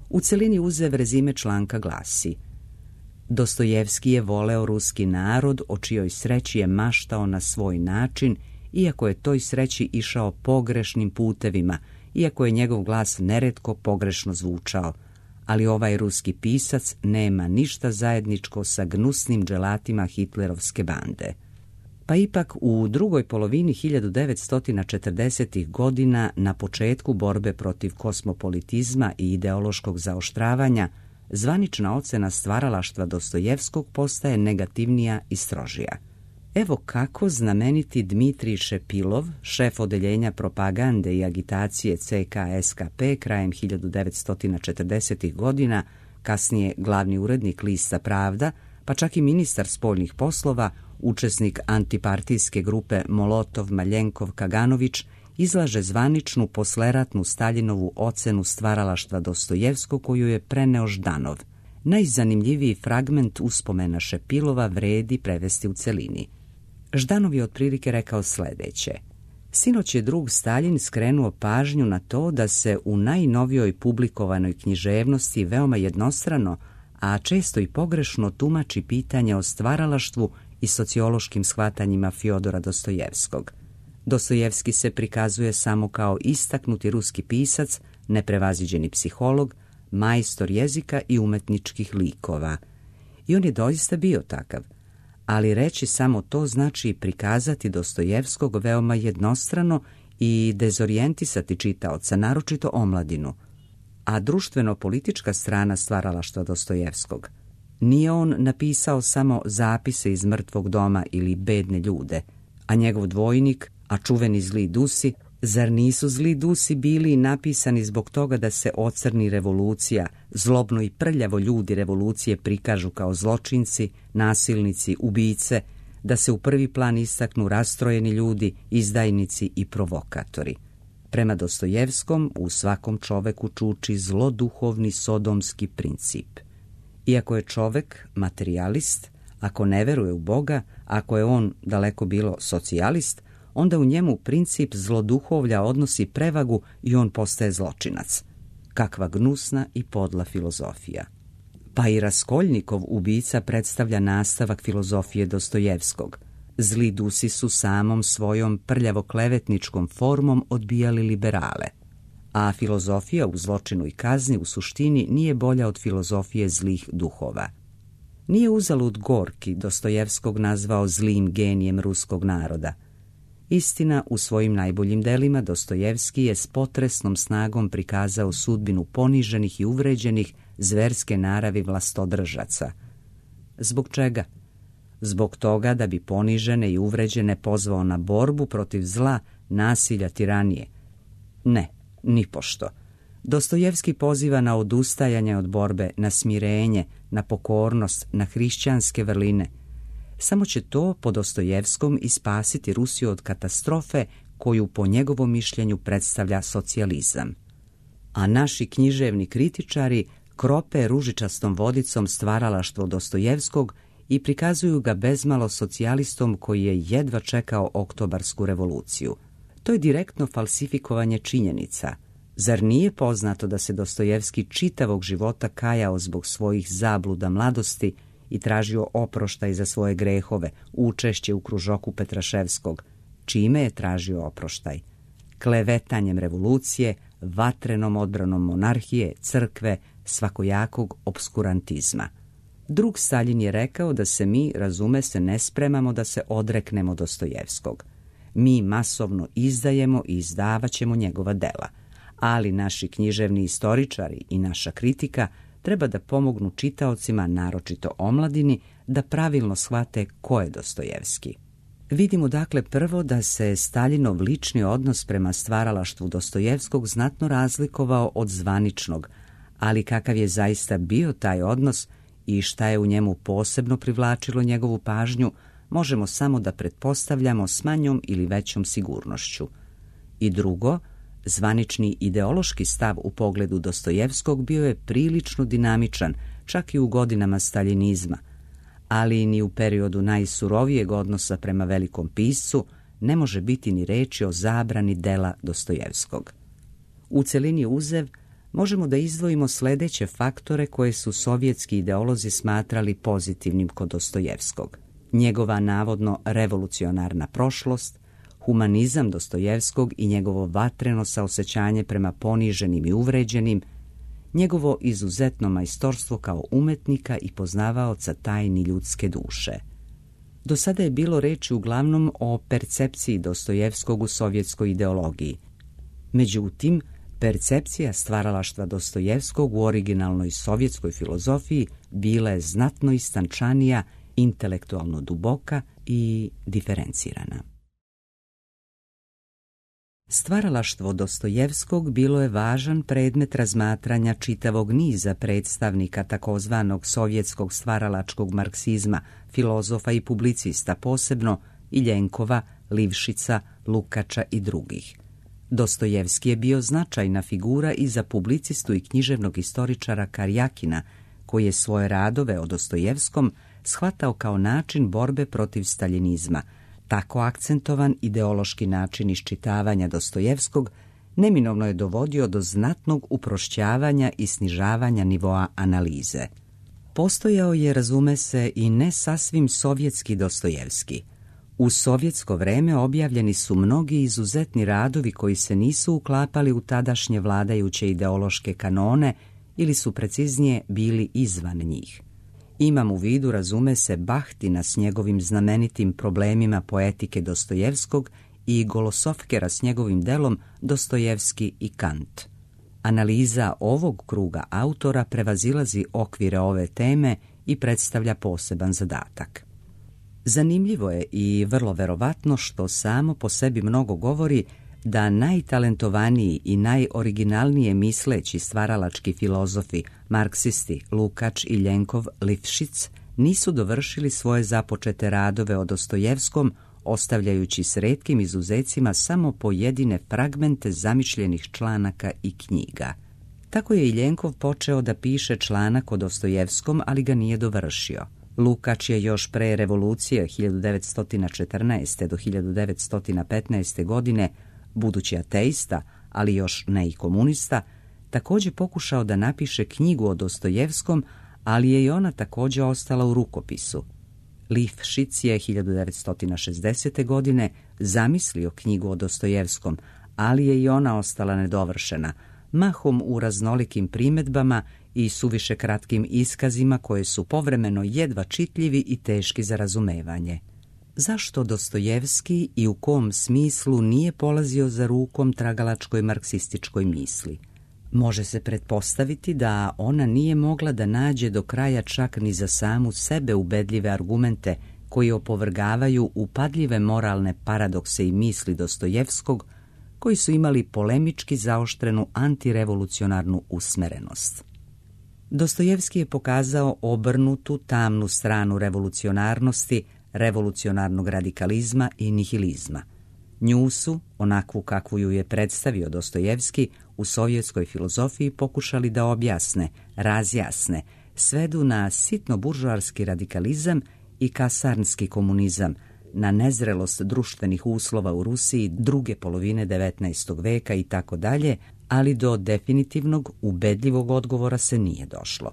U celini uzev rezime članka glasi: Dostojevski je voleo ruski narod, o čijoj sreći je maštao na svoj način, iako je toj sreći išao pogrešnim putevima, iako je njegov glas neretko pogrešno zvučao, ali ovaj ruski pisac nema ništa zajedničko sa gnusnim dželatima hitlerovske bande. Pa ipak u drugoj polovini hiljadu devetsto četrdesetih godina, na početku borbe protiv kosmopolitizma i ideološkog zaoštravanja, zvanična ocena stvaralaštva Dostojevskog postaje negativnija i strožija. Evo kako znameniti Dmitrij Šepilov, šef odeljenja propagande i agitacije ce ka es ka pe krajem hiljadu devetsto četrdesetih godina, kasnije glavni urednik lista Pravda, pa čak i ministar spoljnih poslova, učesnik antipartijske grupe Molotov-Maljenkov-Kaganović, izlaže zvaničnu posleratnu Staljinovu ocenu stvaralaštva Dostojevskog koju je preneo Ždanov. Najzanimljiviji fragment uspomena Šepilova vredi prevesti u celini. Ždanov je otprilike rekao sledeće: sinoć je drug Staljin skrenuo pažnju na to da se u najnovijoj publikovanoj književnosti veoma jednostrano, a često i pogrešno tumači pitanje o stvaralaštvu i sociološkim shvatanjima Fjodora Dostojevskog. Dostojevski se prikazuje samo kao istaknuti ruski pisac, neprevaziđeni psiholog, majstor jezika i umetničkih likova. I on je doista bio takav, ali reći samo to znači prikazati Dostojevskog veoma jednostrano i dezorijentisati čitaoca, naročito omladinu. A društveno-politička strana stvaralaštva Dostojevskog. Nije on napisao samo zapise iz mrtvog doma ili bedne ljude, a njegov dvojnik, a čuveni zli Dusi, Zar nisu zli dusi bili napisani zbog toga da se ocrni revolucija, zlobno i prljavo ljudi revolucije prikažu kao zločinci, nasilnici, ubice, da se u prvi plan istaknu rastrojeni ljudi, izdajnici i provokatori? Prema Dostojevskom, u svakom čoveku čuči zloduhovni sodomski princip. Iako je čovek materijalist, ako ne veruje u Boga, ako je on daleko bilo socijalist, onda u njemu princip zloduhovlja odnosi prevagu i on postaje zločinac. Kakva gnusna i podla filozofija. Pa i Raskoljnikov ubica predstavlja nastavak filozofije Dostojevskog. Zli dusi su samom svojom prljavo-klevetničkom formom odbijali liberale. A filozofija u zločinu i kazni u suštini nije bolja od filozofije zlih duhova. Nije uzalud Gorki Dostojevskog nazvao zlim genijem ruskog naroda. Istina, u svojim najboljim delima Dostojevski je s potresnom snagom prikazao sudbinu poniženih i uvređenih zverske naravi vlastodržaca. Zbog čega? Zbog toga da bi ponižene i uvređene pozvao na borbu protiv zla, nasilja, tiranije. Ne, nipošto. Dostojevski poziva na odustajanje od borbe, na smirenje, na pokornost, na hrišćanske vrline. Samo će to po Dostojevskom i spasiti Rusiju od katastrofe koju po njegovom mišljenju predstavlja socijalizam. A naši književni kritičari krope ružičastom vodicom stvaralaštvo Dostojevskog i prikazuju ga bezmalo socijalistom koji je jedva čekao oktobarsku revoluciju. To je direktno falsifikovanje činjenica. Zar nije poznato da se Dostojevski čitavog života kajao zbog svojih zabluda mladosti i tražio oproštaj za svoje grehove, učešće u kružoku Petraševskog? Čime je tražio oproštaj? Klevetanjem revolucije, vatrenom odbranom monarhije, crkve, svakojakog obskurantizma. Drug Staljin je rekao da se mi, razume se, ne spremamo da se odreknemo Dostojevskog. Mi masovno izdajemo i izdavaćemo njegova dela, ali naši književni istoričari i naša kritika treba da pomognu čitaocima, naročito omladini, da pravilno shvate ko je Dostojevski. Vidimo dakle prvo da se Staljinov lični odnos prema stvaralaštvu Dostojevskog znatno razlikovao od zvaničnog, ali kakav je zaista bio taj odnos i šta je u njemu posebno privlačilo njegovu pažnju, možemo samo da pretpostavljamo s manjom ili većom sigurnošću. I drugo, zvanični ideološki stav u pogledu Dostojevskog bio je prilično dinamičan, čak i u godinama staljinizma, ali ni u periodu najsurovijeg odnosa prema velikom piscu ne može biti ni reči o zabrani dela Dostojevskog. U celini uzev možemo da izdvojimo sledeće faktore koje su sovjetski ideolozi smatrali pozitivnim kod Dostojevskog. Njegova navodno revolucionarna prošlost, humanizam Dostojevskog i njegovo vatreno saosećanje prema poniženim i uvređenim, njegovo izuzetno majstorstvo kao umetnika i poznavaoca tajni ljudske duše. Do sada je bilo reči uglavnom o percepciji Dostojevskog u sovjetskoj ideologiji. Međutim, percepcija stvaralaštva Dostojevskog u originalnoj sovjetskoj filozofiji bila je znatno istančanija, intelektualno duboka i diferencirana. Stvaralaštvo Dostojevskog bilo je važan predmet razmatranja čitavog niza predstavnika takozvanog sovjetskog stvaralačkog marksizma, filozofa i publicista, posebno Iljenkova, Livšica, Lukača i drugih. Dostojevski je bio značajna figura i za publicistu i književnog istoričara Karjakina, koji je svoje radove o Dostojevskom shvatao kao način borbe protiv staljinizma. Tako akcentovan ideološki način iščitavanja Dostojevskog neminovno je dovodio do znatnog uprošćavanja i snižavanja nivoa analize. Postojao je, razume se, i ne sasvim sovjetski Dostojevski. U sovjetsko vreme objavljeni su mnogi izuzetni radovi koji se nisu uklapali u tadašnje vladajuće ideološke kanone ili su preciznije bili izvan njih. Imam u vidu, razume se, Bahtina s njegovim znamenitim problemima poetike Dostojevskog i Golosofkera s njegovim delom Dostojevski i Kant. Analiza ovog kruga autora prevazilazi okvire ove teme i predstavlja poseban zadatak. Zanimljivo je i vrlo verovatno, što samo po sebi mnogo govori, da najtalentovaniji i najoriginalnije misleći stvaralački filozofi, marksisti Lukač, Iljenkov, Lifšic, nisu dovršili svoje započete radove o Dostojevskom, ostavljajući s retkim izuzecima samo pojedine fragmente zamišljenih članaka i knjiga. Tako je Iljenkov počeo da piše članak o Dostojevskom, ali ga nije dovršio. Lukač je još pre revolucije hiljadu devetsto četrnaeste. do hiljadu devetsto petnaeste. godine, budući ateista, ali još ne i komunista, također pokušao da napiše knjigu o Dostojevskom, ali je i ona također ostala u rukopisu. Lifšic je hiljadu devetsto šezdesete. godine zamislio knjigu o Dostojevskom, ali je i ona ostala nedovršena, mahom u raznolikim primjedbama i suviše kratkim iskazima koje su povremeno jedva čitljivi i teški za razumevanje. Zašto Dostojevski i u kom smislu nije polazio za rukom tragalačkoj marksističkoj misli? Može se pretpostaviti da ona nije mogla da nađe do kraja čak ni za samu sebe ubedljive argumente koji opovrgavaju upadljive moralne paradokse i misli Dostojevskog, koji su imali polemički zaoštrenu antirevolucionarnu usmerenost. Dostojevski je pokazao obrnutu, tamnu stranu revolucionarnosti, revolucionarnog radikalizma i nihilizma. Nju su, onakvu kakvu ju je predstavio Dostojevski, u sovjetskoj filozofiji pokušali da objasne, razjasne, svedu na sitno-buržoarski radikalizam i kasarnski komunizam, na nezrelost društvenih uslova u Rusiji druge polovine devetnaestog veka i tako dalje, ali do definitivnog, ubedljivog odgovora se nije došlo.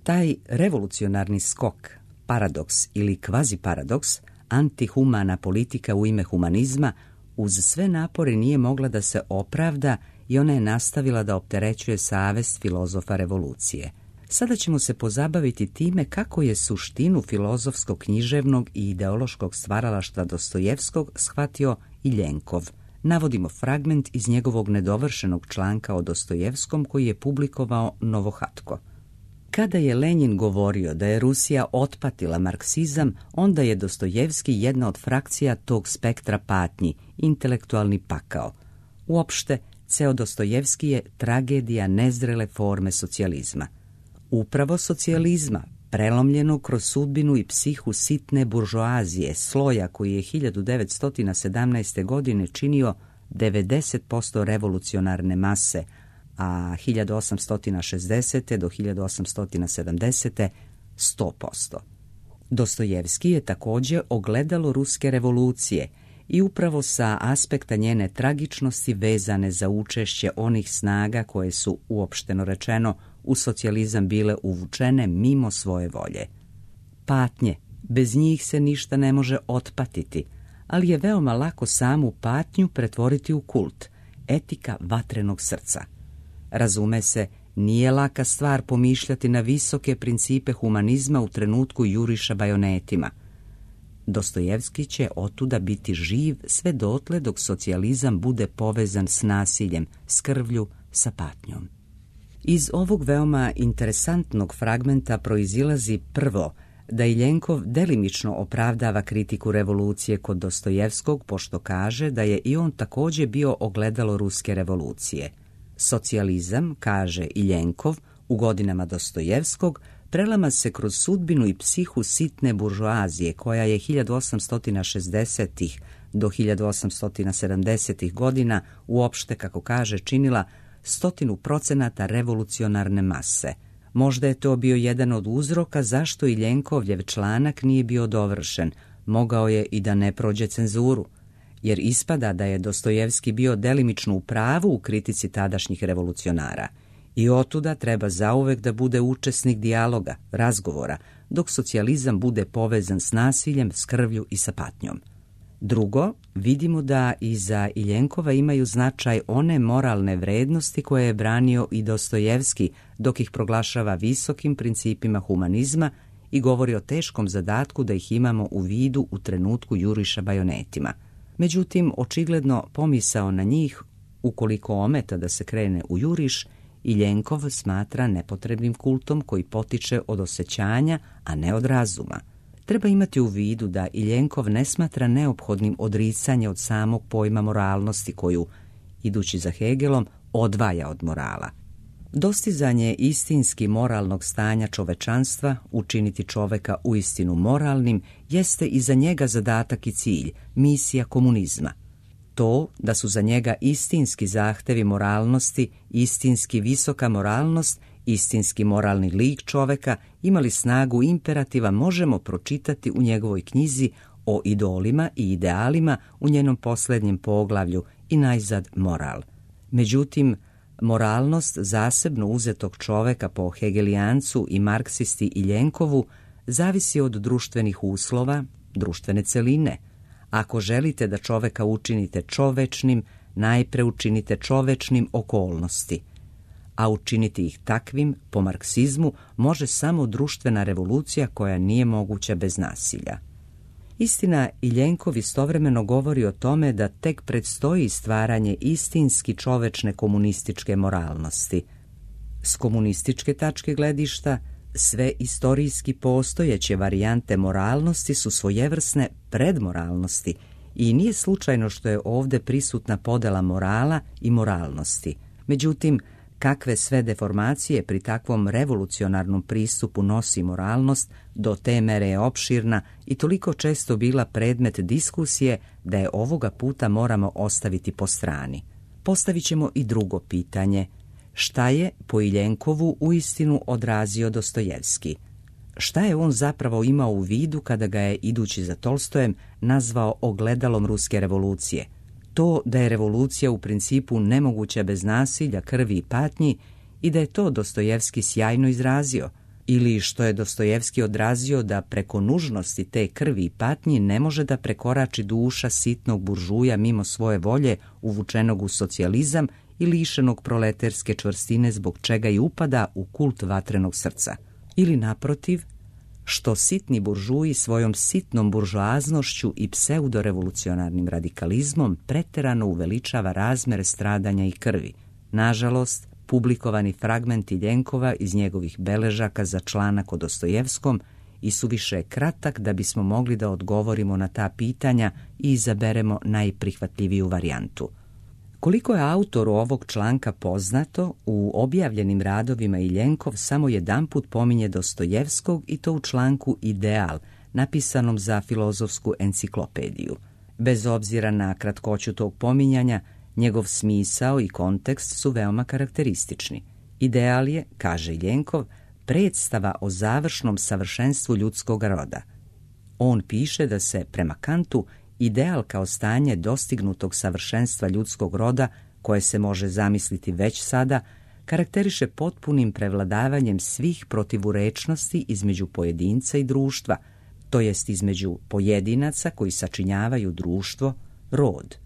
Taj revolucionarni skok, paradoks ili kvaziparadoks, antihumana politika u ime humanizma, uz sve napore nije mogla da se opravda i ona je nastavila da opterećuje savest filozofa revolucije. Sada ćemo se pozabaviti time kako je suštinu filozofskog, književnog i ideološkog stvaralaštva Dostojevskog shvatio Iljenkov. Navodimo fragment iz njegovog nedovršenog članka o Dostojevskom koji je publikovao Novohatko. Kada je Lenjin govorio da je Rusija otpatila marksizam, onda je Dostojevski jedna od frakcija tog spektra patnji, intelektualni pakao. Uopšte, ceo Dostojevski je tragedija nezrele forme socijalizma. Upravo socijalizma, prelomljenog kroz sudbinu i psihu sitne buržoazije, sloja koji je hiljadu devetsto sedamnaeste. godine činio devedeset posto revolucionarne mase, a hiljadu osamsto šezdesete. do hiljadu osamsto sedamdesete. sto posto. Dostojevski je također ogledalo ruske revolucije i upravo sa aspekta njene tragičnosti vezane za učešće onih snaga koje su, uopšteno rečeno, u socijalizam bile uvučene mimo svoje volje. Patnje, bez njih se ništa ne može otpatiti, ali je veoma lako samu patnju pretvoriti u kult, etika vatrenog srca. Razume se, nije laka stvar pomišljati na visoke principe humanizma u trenutku juriša bajonetima. Dostojevski će otuda biti živ sve dotle dok socijalizam bude povezan s nasiljem, s krvlju, sa patnjom. Iz ovog veoma interesantnog fragmenta proizilazi prvo da Iljenkov delimično opravdava kritiku revolucije kod Dostojevskog, pošto kaže da je i on također bio ogledalo ruske revolucije. Socijalizam, kaže Iljenkov, u godinama Dostojevskog, prelama se kroz sudbinu i psihu sitne buržoazije, koja je hiljadu osamsto šezdesetih. do hiljadu osamsto sedamdesetih. godina uopšte, kako kaže, činila stotinu procenata revolucionarne mase. Možda je to bio jedan od uzroka zašto Iljenkovljev članak nije bio dovršen, mogao je i da ne prođe cenzuru, jer ispada da je Dostojevski bio delimično u pravu u kritici tadašnjih revolucionara. I otuda treba zauvek da bude učesnik dijaloga, razgovora, dok socijalizam bude povezan s nasiljem, s krvlju i sa patnjom. Drugo, vidimo da i za Iljenkova imaju značaj one moralne vrednosti koje je branio i Dostojevski, dok ih proglašava visokim principima humanizma i govori o teškom zadatku da ih imamo u vidu u trenutku juriša bajonetima. Međutim, očigledno pomisao na njih, ukoliko ometa da se krene u juriš, Iljenkov smatra nepotrebnim kultom koji potiče od osjećanja, a ne od razuma. Treba imati u vidu da Iljenkov ne smatra neophodnim odricanje od samog pojma moralnosti koju, idući za Hegelom, odvaja od morala. Dostizanje istinski moralnog stanja čovečanstva, učiniti čoveka uistinu moralnim, jeste i za njega zadatak i cilj, misija komunizma. To da su za njega istinski zahtevi moralnosti, istinski visoka moralnost, istinski moralni lik čoveka imali snagu imperativa možemo pročitati u njegovoj knjizi o idolima i idealima u njenom posljednjem poglavlju i najzad moral. Međutim, moralnost zasebno uzetog čoveka po Hegelijancu i marksisti Iljenkovu zavisi od društvenih uslova, društvene celine. Ako želite da čoveka učinite čovečnim, najpre učinite čovečnim okolnosti. A učiniti ih takvim, po marksizmu, može samo društvena revolucija koja nije moguća bez nasilja. Istina, Iljenkov istovremeno govori o tome da tek predstoji stvaranje istinski čovečne komunističke moralnosti. S komunističke tačke gledišta, sve istorijski postojeće varijante moralnosti su svojevrsne predmoralnosti i nije slučajno što je ovdje prisutna podela morala i moralnosti. Međutim, kakve sve deformacije pri takvom revolucionarnom pristupu nosi moralnost, do te mere je opširna i toliko često bila predmet diskusije da je ovoga puta moramo ostaviti po strani. Postavit ćemo i drugo pitanje. Šta je po Iljenkovu uistinu odrazio Dostojevski? Šta je on zapravo imao u vidu kada ga je, idući za Tolstojem, nazvao ogledalom ruske revolucije? To da je revolucija u principu nemoguća bez nasilja, krvi i patnji i da je to Dostojevski sjajno izrazio, ili što je Dostojevski odrazio da preko nužnosti te krvi i patnji ne može da prekorači duša sitnog buržuja mimo svoje volje uvučenog u socijalizam i lišenog proleterske čvrstine zbog čega i upada u kult vatrenog srca. Ili naprotiv, što sitni buržuji svojom sitnom buržoaznošću i pseudorevolucionarnim radikalizmom preterano uveličava razmere stradanja i krvi. Nažalost, publikovani fragmenti Iljenkova iz njegovih beležaka za članak o Dostojevskom i suviše je kratak da bismo mogli da odgovorimo na ta pitanja i izaberemo najprihvatljiviju varijantu. Koliko je autoru ovog članka poznato, u objavljenim radovima Iljenkov samo jedanput pominje Dostojevskog i to u članku Ideal, napisanom za Filozofsku enciklopediju. Bez obzira na kratkoću tog pominjanja, njegov smisao i kontekst su veoma karakteristični. Ideal je, kaže Iljenkov, predstava o završnom savršenstvu ljudskog roda. On piše da se, prema Kantu, ideal kao stanje dostignutog savršenstva ljudskog roda, koje se može zamisliti već sada, karakteriše potpunim prevladavanjem svih protivurečnosti između pojedinca i društva, to jest između pojedinaca koji sačinjavaju društvo, rod.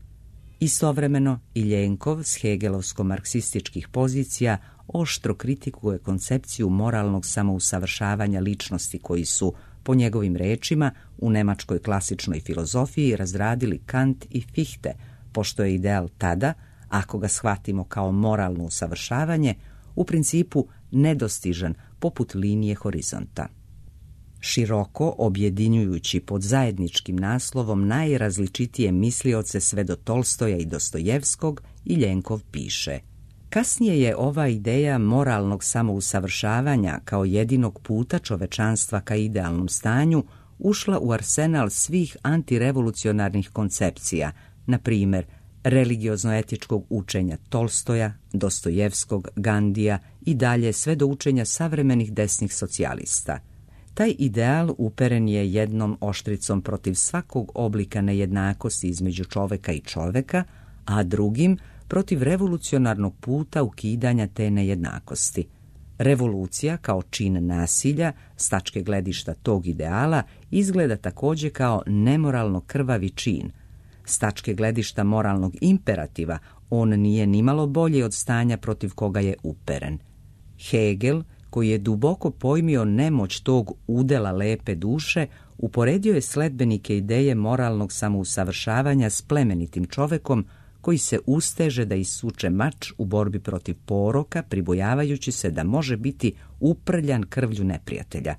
Istovremeno, Iljenkov s hegelovsko-marksističkih pozicija oštro kritikuje koncepciju moralnog samousavršavanja ličnosti koji su, po njegovim rečima, u nemačkoj klasičnoj filozofiji razradili Kant i Fichte, pošto je ideal tada, ako ga shvatimo kao moralno usavršavanje, u principu nedostižan poput linije horizonta. Široko objedinjujući pod zajedničkim naslovom najrazličitije mislioce sve do Tolstoja i Dostojevskog, Iljenkov piše: kasnije je ova ideja moralnog samousavršavanja kao jedinog puta čovečanstva ka idealnom stanju ušla u arsenal svih antirevolucionarnih koncepcija, na primjer religiozno-etičkog učenja Tolstoja, Dostojevskog, Gandija i dalje sve do učenja savremenih desnih socijalista. Taj ideal uperen je jednom oštricom protiv svakog oblika nejednakosti između čoveka i čoveka, a drugim protiv revolucionarnog puta ukidanja te nejednakosti. Revolucija kao čin nasilja, s tačke gledišta tog ideala, izgleda također kao nemoralno krvavi čin. S tačke gledišta moralnog imperativa, on nije nimalo bolji od stanja protiv koga je uperen. Hegel, koji je duboko pojmio nemoć tog udela lepe duše, uporedio je sledbenike ideje moralnog samousavršavanja s plemenitim čovekom koji se usteže da isuče mač u borbi protiv poroka, pribojavajući se da može biti uprljan krvlju neprijatelja.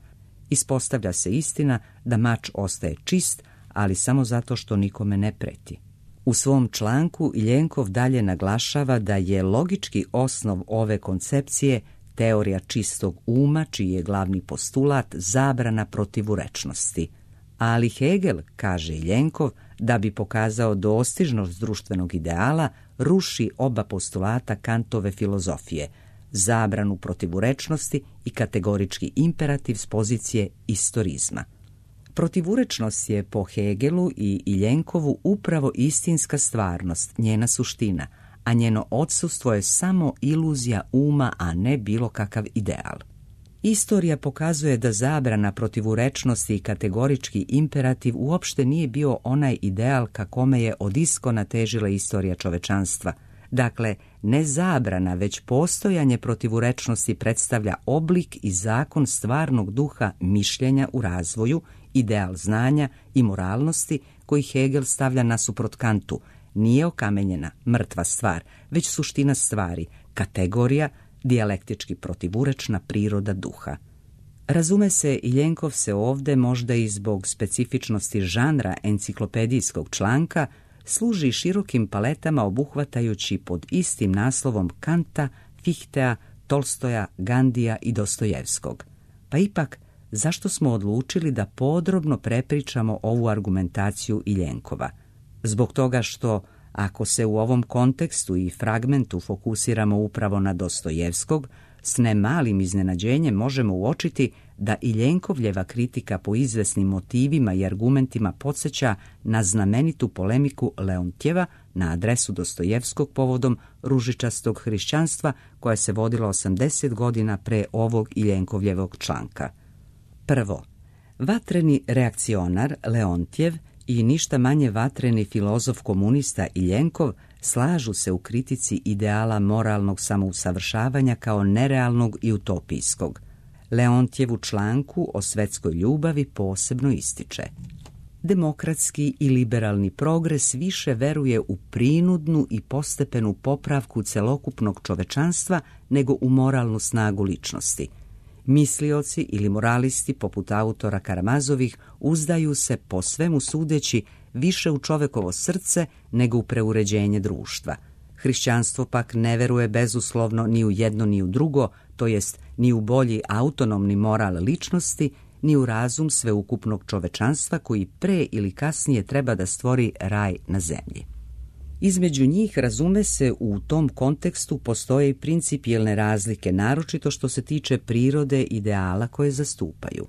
Ispostavlja se istina da mač ostaje čist, ali samo zato što nikome ne preti. U svom članku Iljenkov dalje naglašava da je logički osnov ove koncepcije teorija čistog uma, čiji je glavni postulat zabrana protivurečnosti. Ali Hegel, kaže Iljenkov, da bi pokazao dostižnost društvenog ideala, ruši oba postulata Kantove filozofije, zabranu protivurečnosti i kategorički imperativ s pozicije istorizma. Protivurečnost je po Hegelu i Iljenkovu upravo istinska stvarnost, njena suština, a njeno odsustvo je samo iluzija uma, a ne bilo kakav ideal. Istorija pokazuje da zabrana protivurečnosti i kategorički imperativ uopšte nije bio onaj ideal ka kome je od iskona težila istorija čovečanstva. Dakle, ne zabrana, već postojanje protivurečnosti predstavlja oblik i zakon stvarnog duha mišljenja u razvoju, ideal znanja i moralnosti koji Hegel stavlja nasuprot Kantu. Nije okamenjena, mrtva stvar, već suština stvari, kategorija, dijalektički protivurečna priroda duha. Razume se, Iljenkov se ovde, možda i zbog specifičnosti žanra enciklopedijskog članka, služi širokim paletama obuhvatajući pod istim naslovom Kanta, Fichtea, Tolstoja, Gandija i Dostojevskog. Pa ipak, zašto smo odlučili da podrobno prepričamo ovu argumentaciju Iljenkova? Zbog toga što, ako se u ovom kontekstu i fragmentu fokusiramo upravo na Dostojevskog, s ne malim iznenađenjem možemo uočiti da Iljenkovljeva kritika po izvesnim motivima i argumentima podsjeća na znamenitu polemiku Leontjeva na adresu Dostojevskog povodom ružičastog hrišćanstva koja se vodila osamdeset godina pre ovog Iljenkovljevog članka. Prvo, vatreni reakcionar Leontjev i ništa manje vatreni filozof komunista Iljenkov slažu se u kritici ideala moralnog samousavršavanja kao nerealnog i utopijskog. Leontjev u članku o svetskoj ljubavi posebno ističe: demokratski i liberalni progres više veruje u prinudnu i postepenu popravku celokupnog čovečanstva nego u moralnu snagu ličnosti. Mislioci ili moralisti poput autora Karamazovih uzdaju se, po svemu sudeći, više u čovekovo srce nego u preuređenje društva. Hrišćanstvo pak ne veruje bezuslovno ni u jedno ni u drugo, to jest ni u bolji autonomni moral ličnosti, ni u razum sveukupnog čovečanstva koji pre ili kasnije treba da stvori raj na zemlji. Između njih, razume se, u tom kontekstu postoje i principijelne razlike, naročito što se tiče prirode ideala koje zastupaju.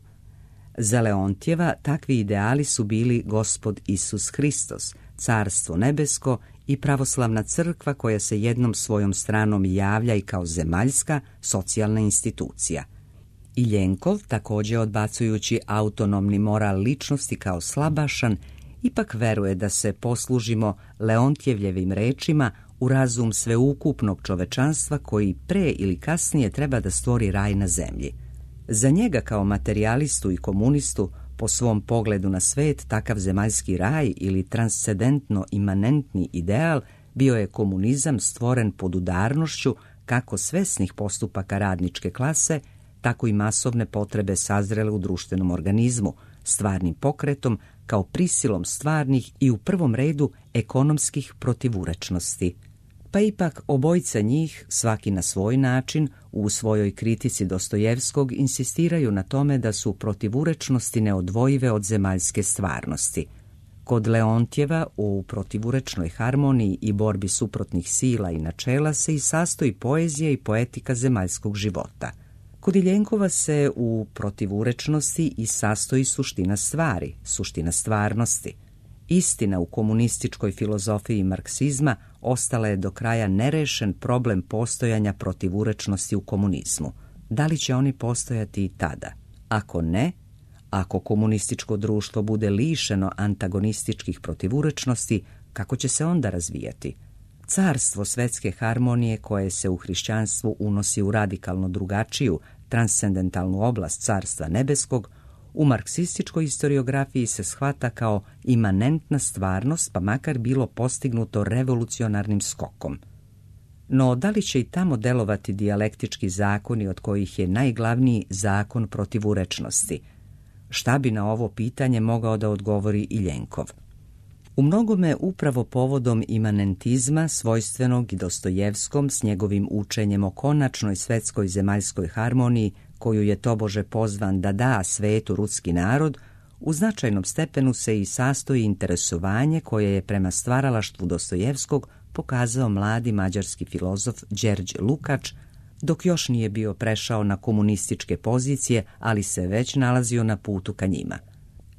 Za Leontjeva takvi ideali su bili Gospod Isus Hristos, Carstvo nebesko i pravoslavna crkva koja se jednom svojom stranom javlja i kao zemaljska socijalna institucija. Iljenkov, također odbacujući autonomni moral ličnosti kao slabašan, ipak veruje da se poslužimo Leontjevljevim rečima u razum sveukupnog čovečanstva koji pre ili kasnije treba da stvori raj na zemlji. Za njega kao materijalistu i komunistu, po svom pogledu na svet, takav zemaljski raj ili transcendentno imanentni ideal bio je komunizam stvoren pod udarnošću kako svesnih postupaka radničke klase, tako i masovne potrebe sazrele u društvenom organizmu, stvarnim pokretom kao prisilom stvarnih i u prvom redu ekonomskih protivurečnosti. Pa ipak obojica njih, svaki na svoj način, u svojoj kritici Dostojevskog insistiraju na tome da su protivurečnosti neodvojive od zemaljske stvarnosti. Kod Leontjeva u protivurečnoj harmoniji i borbi suprotnih sila i načela se i sastoji poezija i poetika zemaljskog života. Kod Iljenkova se u protivurečnosti i sastoji suština stvari, suština stvarnosti. Istina, u komunističkoj filozofiji marksizma ostala je do kraja nerešen problem postojanja protivurečnosti u komunizmu. Da li će oni postojati i tada? Ako ne, ako komunističko društvo bude lišeno antagonističkih protivurečnosti, kako će se onda razvijati? Carstvo svetske harmonije koje se u hrišćanstvu unosi u radikalno drugačiju, transcendentalnu oblast Carstva nebeskog, u marksističkoj historiografiji se shvata kao imanentna stvarnost, pa makar bilo postignuto revolucionarnim skokom. No, da li će i tamo delovati dijalektički zakoni od kojih je najglavniji zakon protivurečnosti? Šta bi na ovo pitanje mogao da odgovori Iljenkov? U mnogome upravo povodom imanentizma svojstvenog i Dostojevskom s njegovim učenjem o konačnoj svetskoj zemaljskoj harmoniji koju je tobože pozvan da da svetu ruski narod, u značajnom stepenu se i sastoji interesovanje koje je prema stvaralaštvu Dostojevskog pokazao mladi mađarski filozof Đerđ Lukač, dok još nije bio prešao na komunističke pozicije, ali se već nalazio na putu ka njima.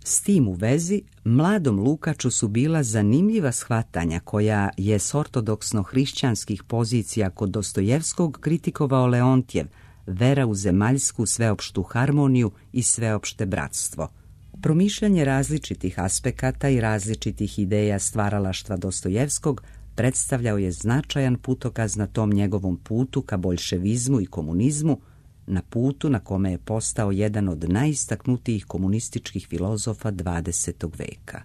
S tim u vezi, mladom Lukaču su bila zanimljiva shvatanja koja je s ortodoksno-hrišćanskih pozicija kod Dostojevskog kritikovao Leontjev, vera u zemaljsku sveopštu harmoniju i sveopšte bratstvo. Promišljanje različitih aspekata i različitih ideja stvaralaštva Dostojevskog predstavljao je značajan putokaz na tom njegovom putu ka boljševizmu i komunizmu, na putu na kome je postao jedan od najistaknutijih komunističkih filozofa dvadesetog veka.